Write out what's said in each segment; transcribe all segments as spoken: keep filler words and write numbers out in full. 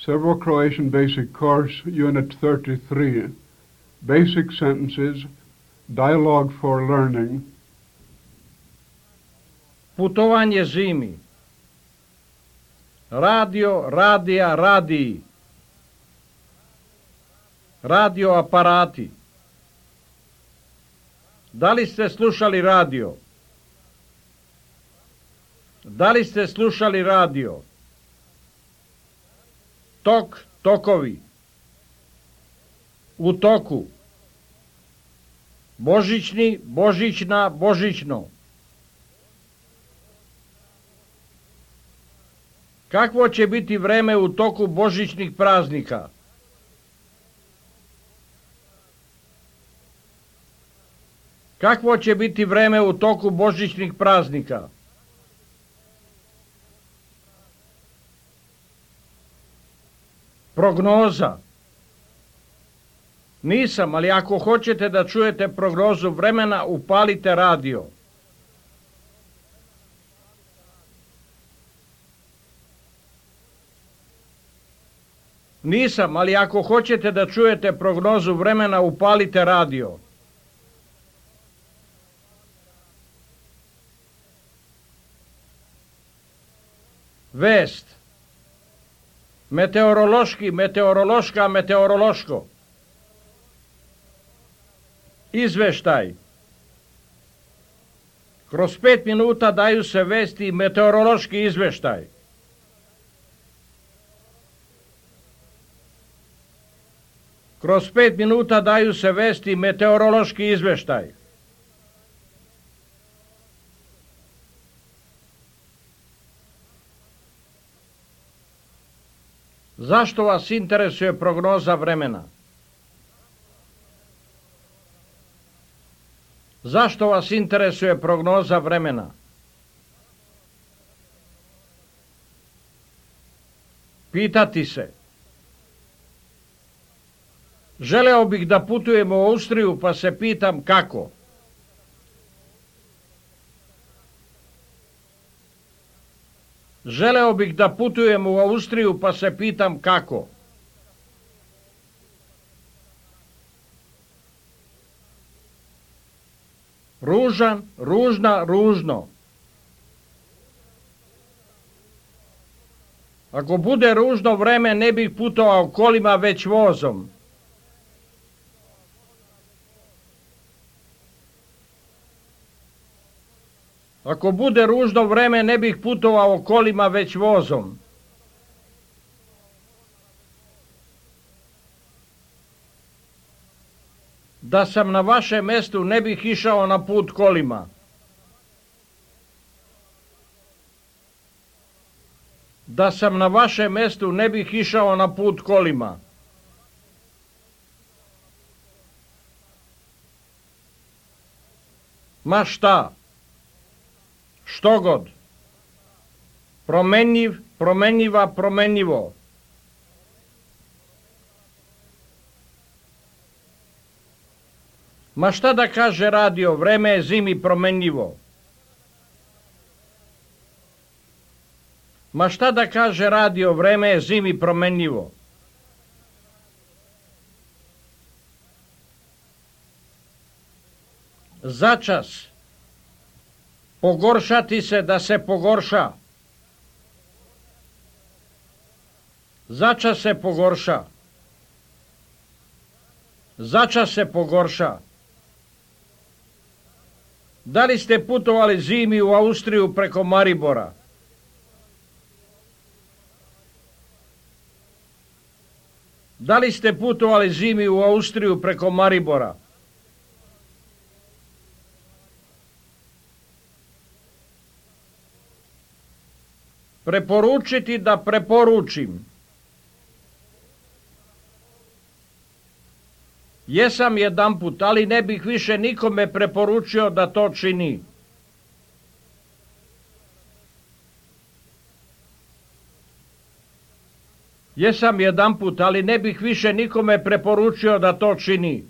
Serbo-Croatian Basic Course, Unit thirty-three, Basic Sentences, Dialogue for Learning. Putovanje zimi. Radio, radija, radiji. Radio aparati. Da li ste slušali radio? Da li ste slušali radio? Tok, tokovi. U toku. Božićni, božićna, božićno. Kakvo će biti vreme u toku božićnih praznika? Kakvo će biti vreme u toku božićnih praznika? Prognoza. Nisam, ali ako hoćete da čujete prognozu vremena, upalite radio. Nisam, ali ako hoćete da čujete prognozu vremena, upalite radio. Vest. Meteorološki, meteorološka, meteorološko. Izveštaj. Kroz pet minuta daju se vesti meteorološki izveštaj. Kroz pet minuta daju se vesti meteorološki izveštaj. Zašto vas interesuje prognoza vremena? Zašto vas interesuje prognoza vremena? Pitati se. Želeo bih da putujem u Austriju, pa se pitam kako. Želeo bih da putujem u Austriju, pa se pitam kako. Ružan, ružna, ružno. Ako bude ružno vreme, ne bih putovao kolima, već vozom. Ako bude ružno vreme, ne bih putovao kolima, već vozom. Da sam na vašem mestu, ne bih išao na put kolima. Da sam na vašem mestu, ne bih išao na put kolima. Ma šta? Što god. Promenjiv, promenjiva, promenjivo. Ma šta da kaže radio, vreme je zimi promenjivo. Ma šta da kaže radio, vreme je zimi promenjivo. Začas. Pogoršati se da se pogorša. Začas se pogorša. Začas se pogorša. Da li ste putovali zimi u Austriju preko Maribora? Da li ste putovali zimi u Austriju preko Maribora? Preporučiti da preporučim. Jesam jedanput, ali ne bih više nikome preporučio da to čini. Jesam jedanput, ali ne bih više nikome preporučio da to čini.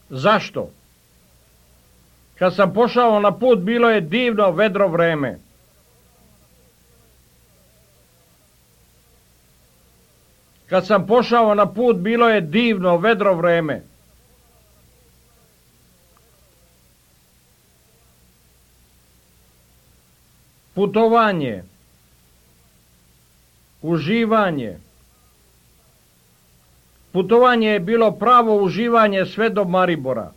Zašto? Kad sam pošao na put, bilo je divno vedro vreme. Kad sam pošao na put, bilo je divno, vedro vreme. Putovanje, uživanje. Putovanje je bilo pravo uživanje sve do Maribora.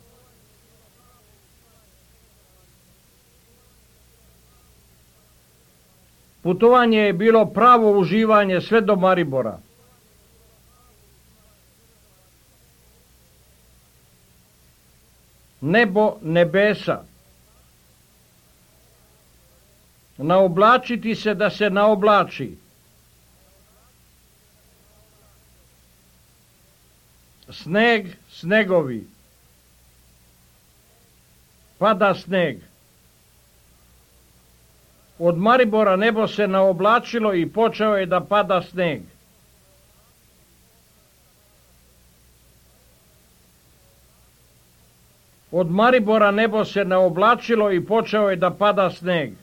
Putovanje je bilo pravo uživanje sve do Maribora. Nebo nebesa. Naoblačiti se da se naoblači. Sneg, snegovi. Pada sneg. Od Maribora nebo se naoblačilo i počeo je da pada sneg. Od Maribora nebo se naoblačilo i počeo je da pada sneg.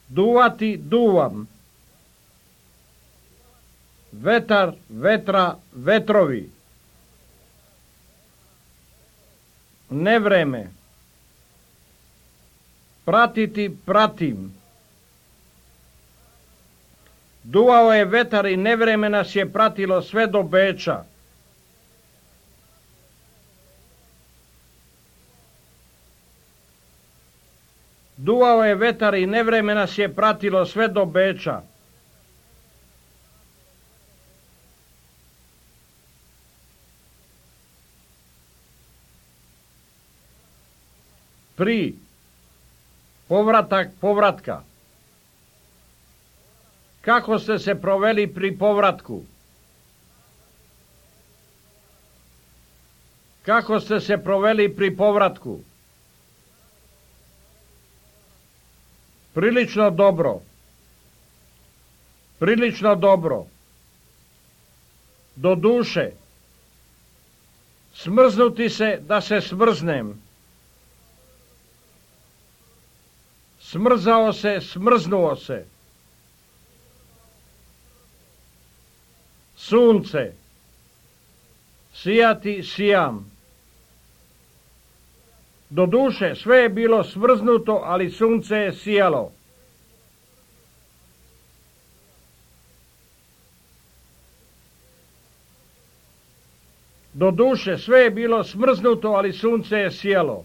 Duvati, duvam. Vetar, vetra, vetrovi. Nevreme. Pratiti, pratim. Duvao je vetar i nevreme nas je pratilo sve do Beča. Duvao je vetar i nevreme nas je pratilo sve do Beča. Pri. Povratak povratka. Kako ste se proveli pri povratku? Kako ste se proveli pri povratku? Prilično dobro. Prilično dobro. Do duše. Smrznuti se da se smrznem. Smrzao se, smrznuo se. Sunce. Sijati, sijam. Do duše sve je bilo smrznuto, ali sunce je sijalo. Do duše sve je bilo smrznuto, ali sunce je sijalo.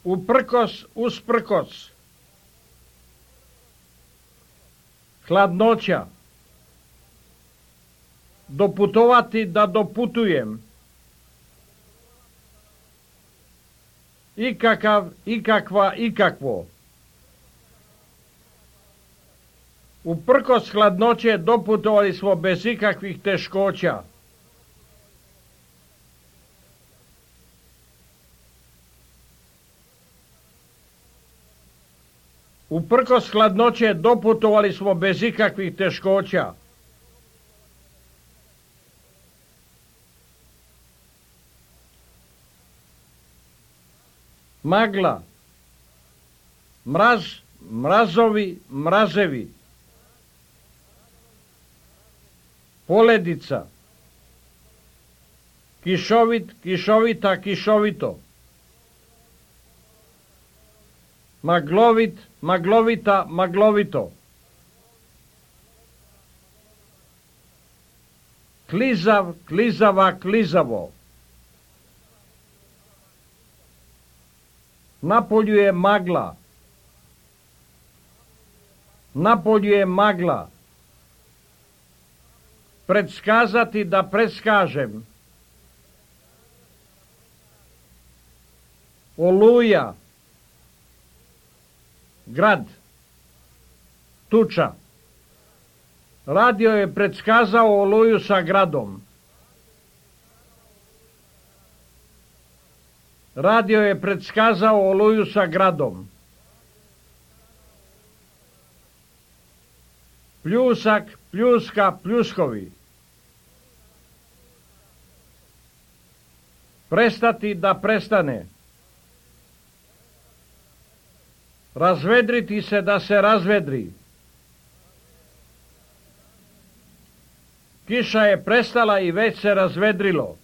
Uprkos, usprkos. Hladnoća. Doputovati da doputujem. Ikakav, ikakva, ikakvo. Uprkos hladnoće doputovali smo bez ikakvih teškoća. Uprkos hladnoće doputovali smo bez ikakvih teškoća. Magla. Mraz, mrazovi, mrazevi. Poledica. Kišovit, kišovita, kišovito. Maglovit, maglovita, maglovito. Klizav, klizava, klizavo. Napolju je magla. Napolju je magla. Predskazati da preskažem. Oluja. Grad. Tuča. Radio je predskazao oluju sa gradom. Radio je predskazao oluju sa gradom. Pljusak, pljuska, pljuskovi. Prestati da prestane. Razvedriti se da se razvedri. Kiša je prestala i već se razvedrilo.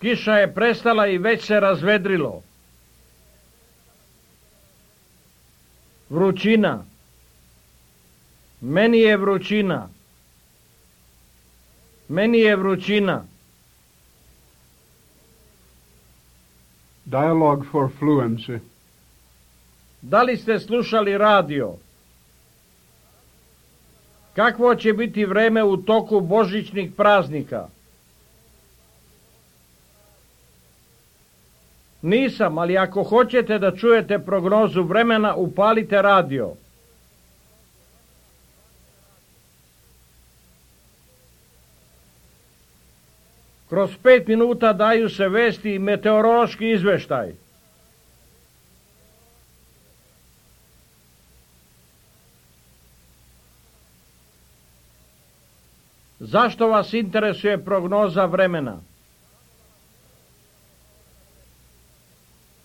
Kiša je prestala i već se razvedrilo. Vrućina. Meni je vrućina. Meni je vrućina. Dialogue for fluency. Da li ste slušali radio? Kakvo će biti vreme u toku božićnih praznika? Nisam, ali ako hoćete da čujete prognozu vremena, upalite radio. Kroz pet minuta daju se vesti i meteorološki izveštaj. Zašto vas interesuje prognoza vremena?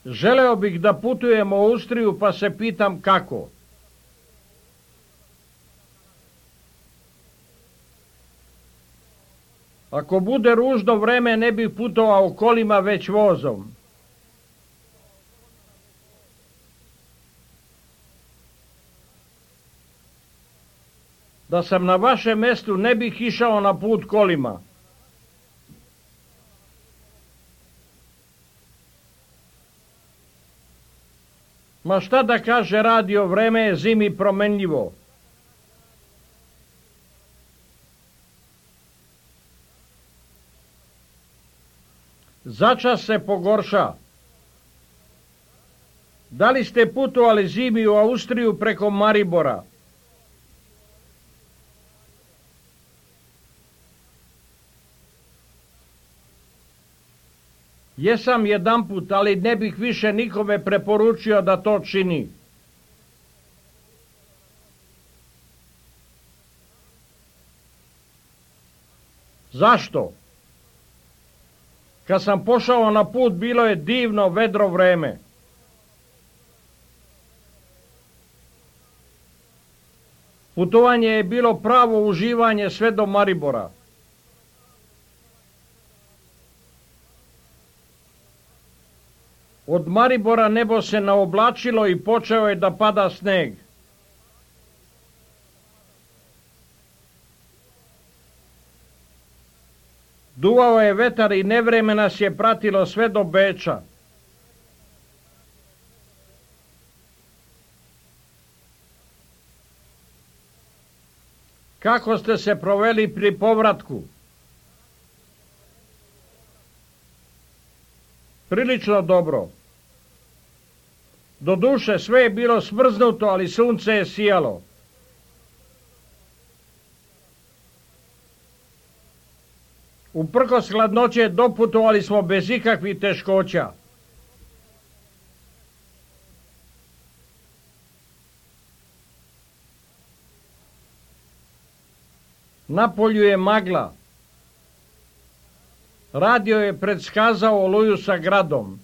Želeo bih da putujem u Austriju, pa se pitam kako. Ako bude ružno vreme, ne bih putovao kolima, već vozom. Da sam na vašem mjestu, ne bih išao na put kolima. Ma šta da kaže radio, vreme je zimi promenljivo. Začas se pogorša. Da li ste putovali zimi u Austriju preko Maribora? Jesam jedanput, ali ne bih više nikome preporučio da to čini. Zašto? Kad sam pošao na put, bilo je divno vedro vreme. Putovanje je bilo pravo uživanje sve do Maribora. Od Maribora nebo se naoblačilo i počeo je da pada sneg. Duvao je vetar i nevreme nas je pratilo sve do Beča. Kako ste se proveli pri povratku? Prilično dobro. Doduše sve je bilo smrznuto, ali sunce je sijalo. Uprkos hladnoće doputovali smo bez ikakvih teškoća. Napolju je magla. Radio je predskazao oluju sa gradom.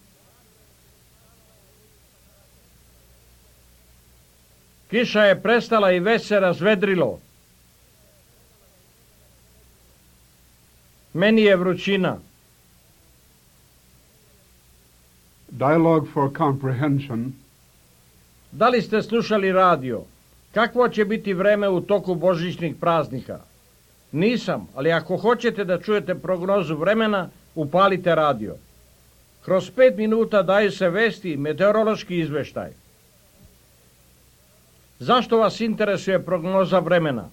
Kiša je prestala i već se razvedrilo. Meni je vrućina. Dialogue for comprehension. Da li ste slušali radio? Kakvo će biti vreme u toku božićnih praznika? Nisam, ali ako hoćete da čujete prognozu vremena, upalite radio. Kroz pet minuta daju se vesti i meteorološki izveštaj. Zašto vas interesuje prognoza vremena?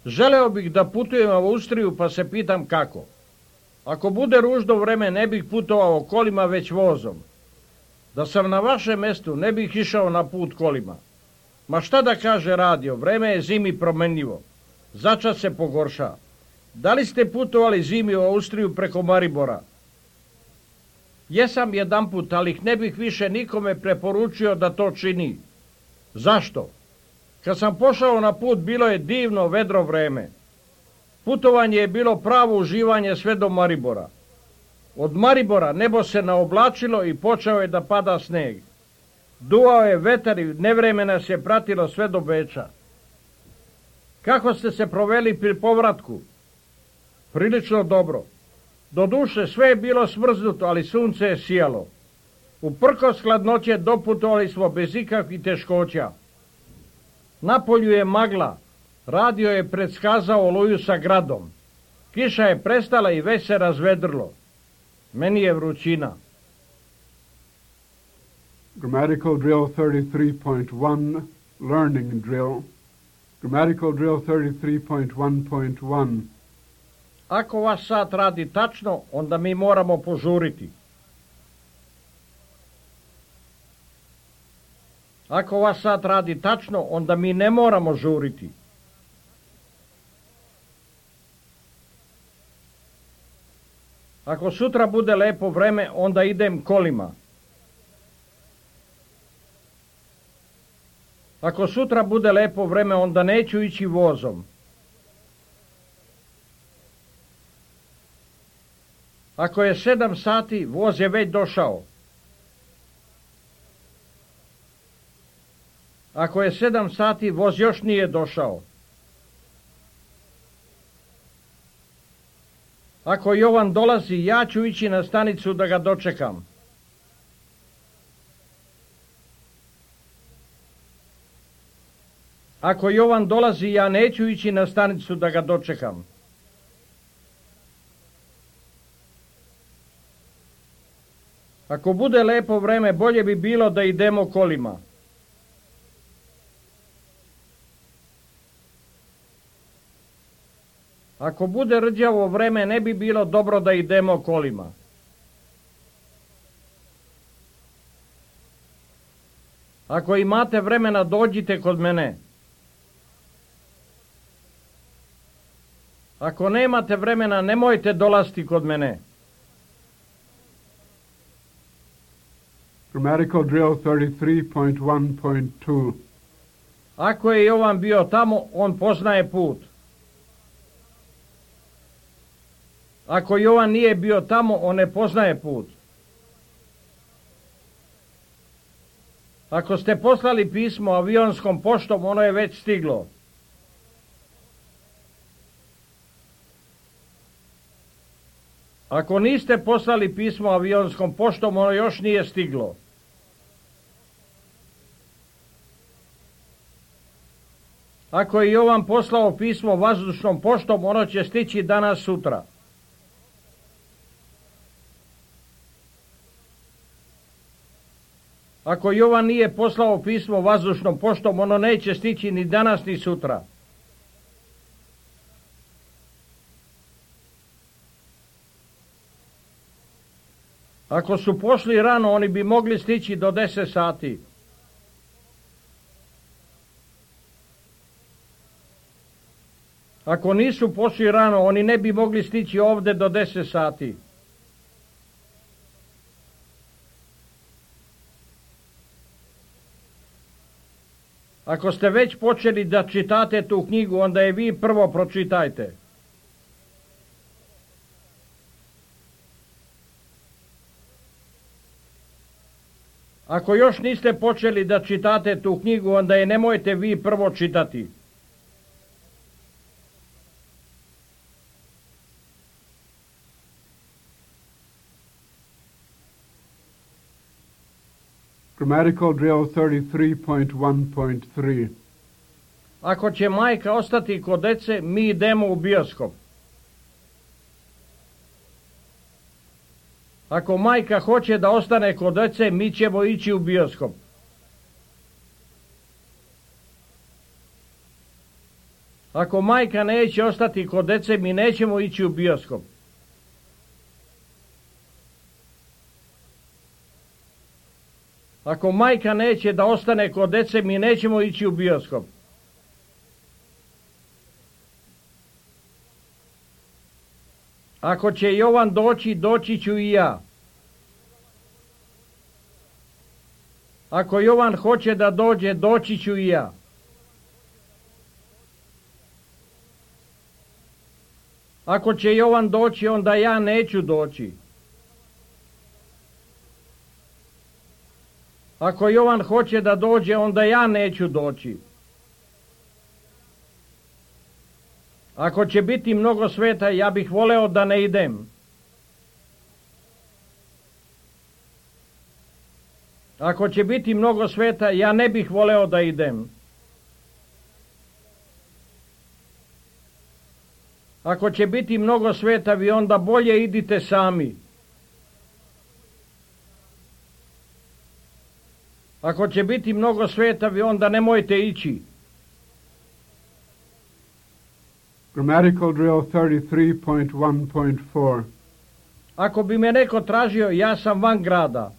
Želeo bih da putujem u Austriju, pa se pitam kako. Ako bude ružno vreme, ne bih putovao kolima, već vozom. Da sam na vašem mjestu, ne bih išao na put kolima. Ma šta da kaže radio, vreme je zimi promenljivo. Začas se pogorša. Da li ste putovali zimi u Austriju preko Maribora? Jesam jedanput, ali ne bih više nikome preporučio da to čini. Zašto? Kad sam pošao na put, bilo je divno vedro vreme. Putovanje je bilo pravo uživanje sve do Maribora. Od Maribora nebo se naoblačilo i počeo je da pada sneg. Duvao je vetar i nevreme nas je pratilo sve do Beča. Kako ste se proveli pri povratku? Prilično dobro. Doduše sve je bilo smrznuto, ali sunce je sijalo. Uprkos hladnoće doputovali smo bez ikakvih teškoća. Napolju je magla. Radio je predskazao oluju sa gradom. Kiša je prestala i već se razvedrilo. Meni je vrućina. Grammatical drill thirty-three point one, learning drill. Grammatical drill thirty-three point one point one. Ako vaš sat radi tačno, onda mi moramo požuriti. Ako vaš sat radi tačno, onda mi ne moramo žuriti. Ako sutra bude lepo vreme, onda idem kolima. Ako sutra bude lepo vreme, onda neću ići vozom. Ako je sedam sati, voz je već došao. Ako je sedam sati, voz još nije došao. Ako Jovan dolazi, ja ću ići na stanicu da ga dočekam. Ako Jovan dolazi, ja neću ići na stanicu da ga dočekam. Ako bude lepo vreme, bolje bi bilo da idemo kolima. Ako bude rđavo vreme, ne bi bilo dobro da idemo kolima. Ako imate vremena, dođite kod mene. Ako nemate vremena, nemojte dolaziti kod mene. Grammatical drill thirty-three point one point two. Ako je Jovan bio tamo, on poznaje put. Ako Jovan nije bio tamo, on ne poznaje put. Ako ste poslali pismo avionskom poštom, ono je već stiglo. Ako niste poslali pismo avionskom poštom, ono još nije stiglo. Ako je Jovan poslao pismo vazdušnom poštom, ono će stići danas sutra. Ako Jovan nije poslao pismo vazdušnom poštom, ono neće stići ni danas ni sutra. Ako su pošli rano, oni bi mogli stići do deset sati. Ako nisu pošli rano, oni ne bi mogli stići ovde do deset sati. Ako ste već počeli da čitate tu knjigu, onda je vi prvo pročitajte. Ako još niste počeli da čitate tu knjigu, onda je nemojte vi prvo čitati. Grammatical drill thirty-three point one point three. Ako će majka ostati kod dece, mi idemo u bioskop. Ako majka hoće da ostane kod dece, mi ćemo ići u bioskop. Ako majka neće ostati kod dece, mi nećemo ići u bioskop. Ako majka neće da ostane kod dece, mi nećemo ići u bioskop. Ako će Jovan doći, doći ću i ja. Ako Jovan hoće da dođe, doći ću i ja. Ako će Jovan doći, onda ja neću doći. Ako Jovan hoće da dođe, onda ja neću doći. Ako će biti mnogo sveta, ja bih voleo da ne idem. Ako će biti mnogo sveta, ja ne bih voleo da idem. Ako će biti mnogo sveta, vi onda bolje idite sami. Ako će biti mnogo sveta, vi onda nemojte ići. Grammatical drill thirty-three point one point four. Ako bi me neko tražio, ja sam van grada.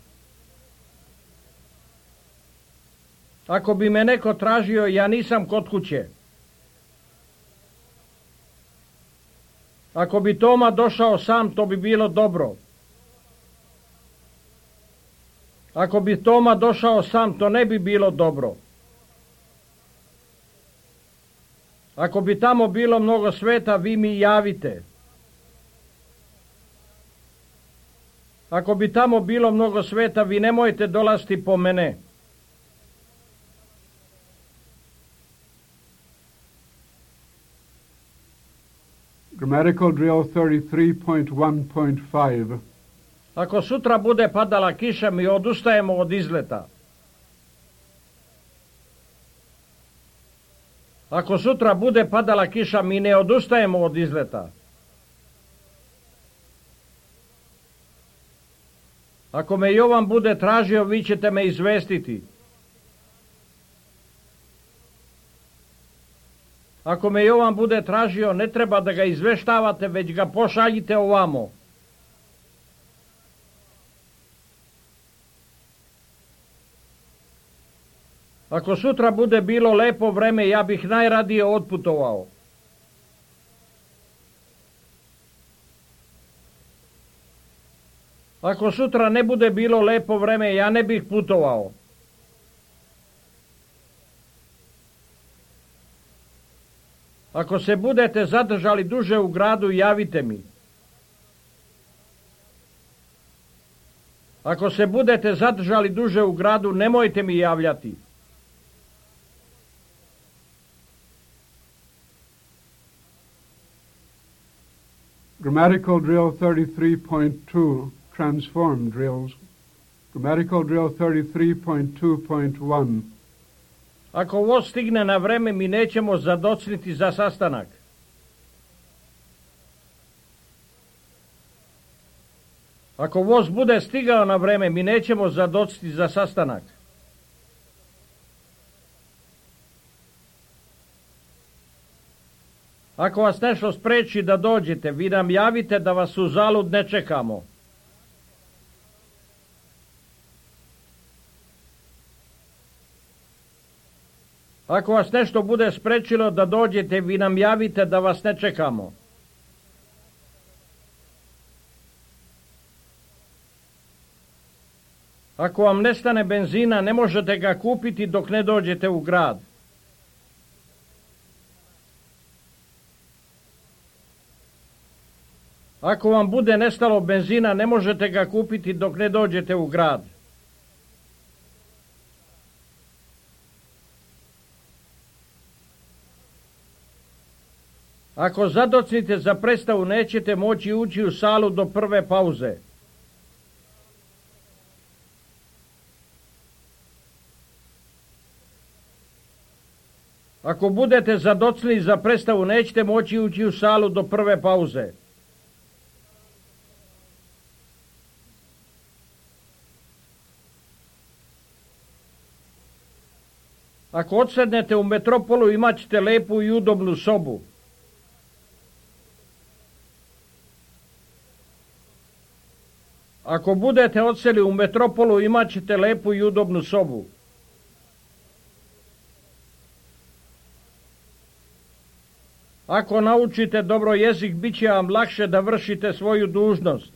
Ako bi me neko tražio, ja nisam kod kuće. Ako bi Toma došao sam, to bi bilo dobro. Ako bi Toma došao sam, to ne bi bilo dobro. Ako bi tamo bilo mnogo sveta, vi mi javite. Ako bi tamo bilo mnogo sveta, vi nemojte dolaziti po mene. Grammatical drill thirty-three point one point five. Ako sutra bude padala kiša, mi odustajemo od izleta. Ako sutra bude padala kiša, mi ne odustajemo od izleta. Ako me Jovan bude tražio, vi ćete me izvestiti. Ako me Jovan bude tražio, ne treba da ga izveštavate, već ga pošaljite ovamo. Ako sutra bude bilo lepo vreme, ja bih najradije otputovao. Ako sutra ne bude bilo lepo vreme, ja ne bih putovao. Ako se budete zadržali duže u gradu, javite mi. Ako se budete zadržali duže u gradu, nemojte mi javljati. Grammatical drill thirty-three point two, transform drills. Grammatical drill thirty-three point two point one. Ako voz stigne na vreme, mi nećemo zadocniti za sastanak. Ako voz bude stigao na vreme, mi nećemo zadocniti za sastanak. Ako vas nešto spreči da dođete, vi nam javite da vas u zalud ne čekamo. Ako vas nešto bude sprečilo da dođete, vi nam javite da vas ne čekamo. Ako vam nestane benzina, ne možete ga kupiti dok ne dođete u grad. Ako vam bude nestalo benzina, ne možete ga kupiti dok ne dođete u grad. Ako zadocnite za predstavu, nećete moći ući u salu do prve pauze. Ako budete zadocnili za predstavu, nećete moći ući u salu do prve pauze. Ako odsednete u Metropolu, imat ćete lepu i udobnu sobu. Ako budete odseli u Metropolu, imat ćete lepu i udobnu sobu. Ako naučite dobro jezik, bit će vam lakše da vršite svoju dužnost.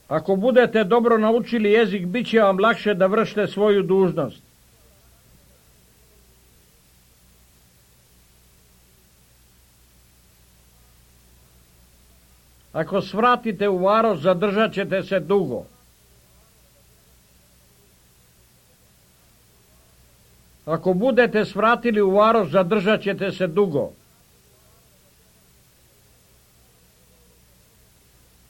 Ako budete dobro naučili jezik, bit će vam lakše da vršite svoju dužnost. Ako svratite u varoš, zadržat ćete se dugo. Ako budete svratili u varoš, zadržat ćete se dugo.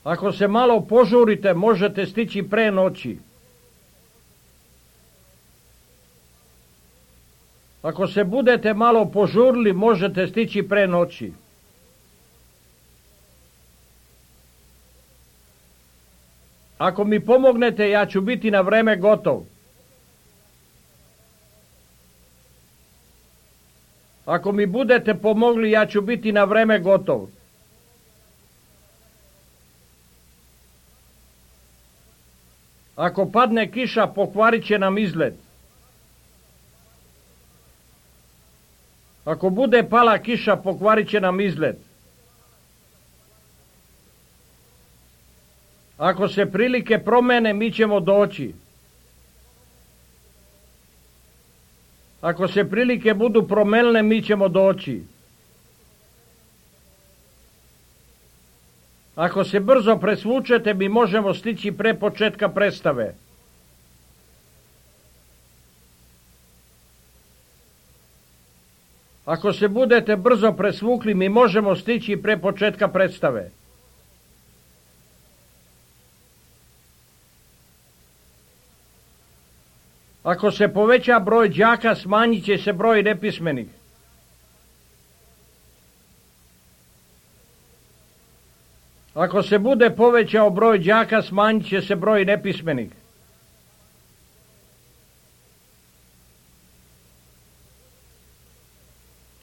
Ako se malo požurite, možete stići pre noći. Ako se budete malo požurili, možete stići pre noći. Ako mi pomognete, ja ću biti na vreme gotov. Ako mi budete pomogli, ja ću biti na vreme gotov. Ako padne kiša, pokvarit će nam izgled. Ako bude pala kiša, pokvarit će nam izgled. Ako se prilike promene, mi ćemo doći. Ako se prilike budu promenile, mi ćemo doći. Ako se brzo presvučete, mi možemo stići pre početka predstave. Ako se budete brzo presvukli, mi možemo stići pre početka predstave. Ako se poveća broj đaka, smanjit će se broj nepismenih. Ako se bude povećao broj đaka, smanjit će se broj nepismenih.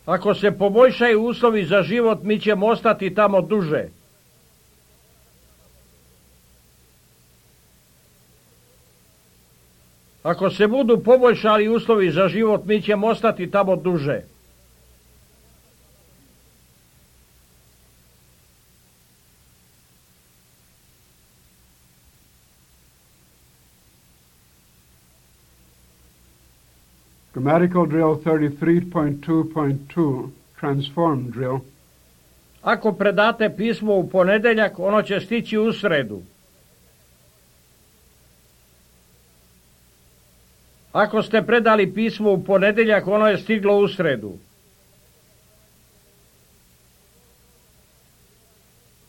Ako se poboljšaju uslovi za život, mi ćemo ostati tamo duže. Ako se budu poboljšali uslovi za život, mi ćemo ostati tamo duže. Grammatical drill thirty-three point two point two, transform drill. Ako predate pismo u ponedeljak, ono će stići u sredu. Ako ste predali pismo u ponedeljak, ono je stiglo u sredu.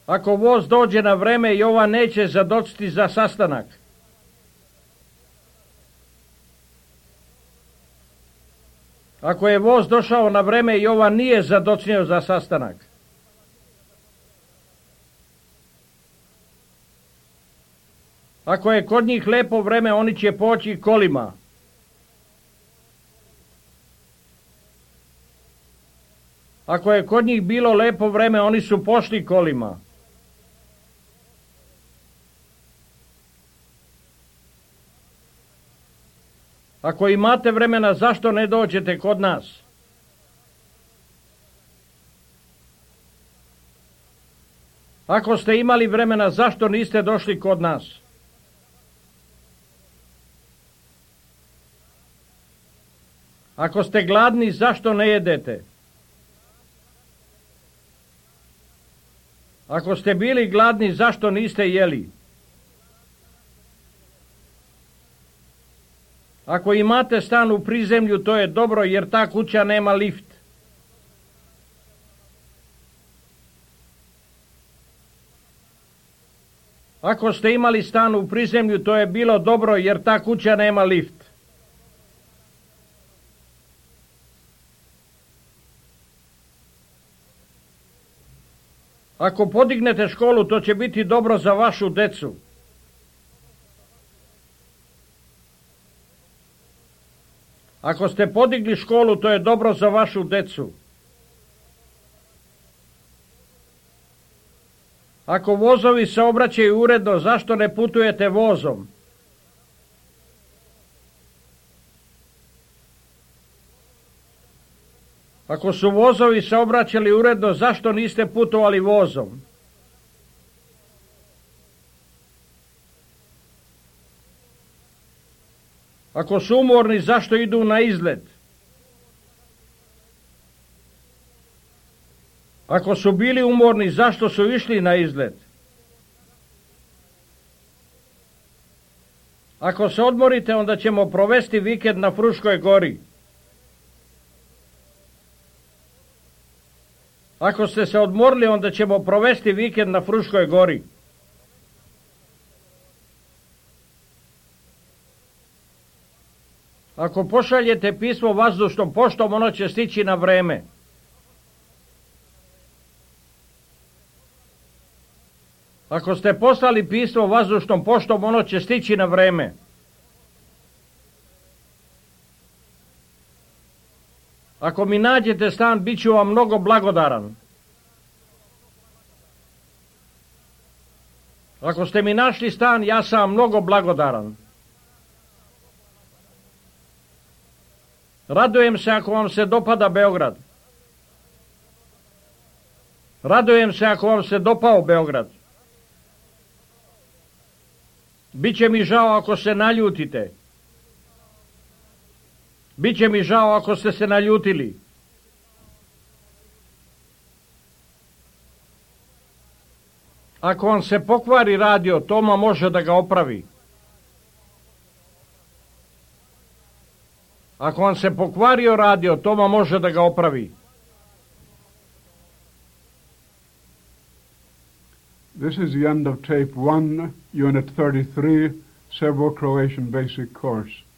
Ako voz dođe na vreme, Jovan neće zadočiti za sastanak. Ako je voz došao na vreme, Jovan nije zadocnio za sastanak. Ako je kod njih lepo vreme, oni će poći kolima. Ako je kod njih bilo lepo vreme, oni su pošli kolima. Ako imate vremena, zašto ne dođete kod nas? Ako ste imali vremena, zašto niste došli kod nas? Ako ste gladni, zašto ne jedete? Ako ste bili gladni, zašto niste jeli? Ako imate stan u prizemlju, to je dobro, jer ta kuća nema lift. Ako ste imali stan u prizemlju, to je bilo dobro, jer ta kuća nema lift. Ako podignete školu, to će biti dobro za vašu decu. Ako ste podigli školu, to je dobro za vašu decu. Ako vozovi se obraćaju uredno, zašto ne putujete vozom? Ako su vozovi se obraćali uredno, zašto niste putovali vozom? Ako su umorni, zašto idu na izlet? Ako su bili umorni, zašto su išli na izlet? Ako se odmorite, onda ćemo provesti vikend na Fruškoj gori. Ako ste se odmorili, onda ćemo provesti vikend na Fruškoj gori. Ako pošaljete pismo vazdušnom poštom, ono će stići na vreme. Ako ste poslali pismo vazdušnom poštom, ono će stići na vreme. Ako mi nađete stan, bit ću vam mnogo blagodaran. Ako ste mi našli stan, ja sam vam mnogo blagodaran. Radujem se ako vam se dopada Beograd. Radujem se ako vam se dopao Beograd. Biće mi žao ako se naljutite. Biće mi žao ako ste se naljutili. Ako vam se pokvari radio, Toma može da ga opravi. Ako vam se pokvario radio, Toma može da ga opravi. This is the end of tape one, unit thirty-three, Serbo-Croatian basic course.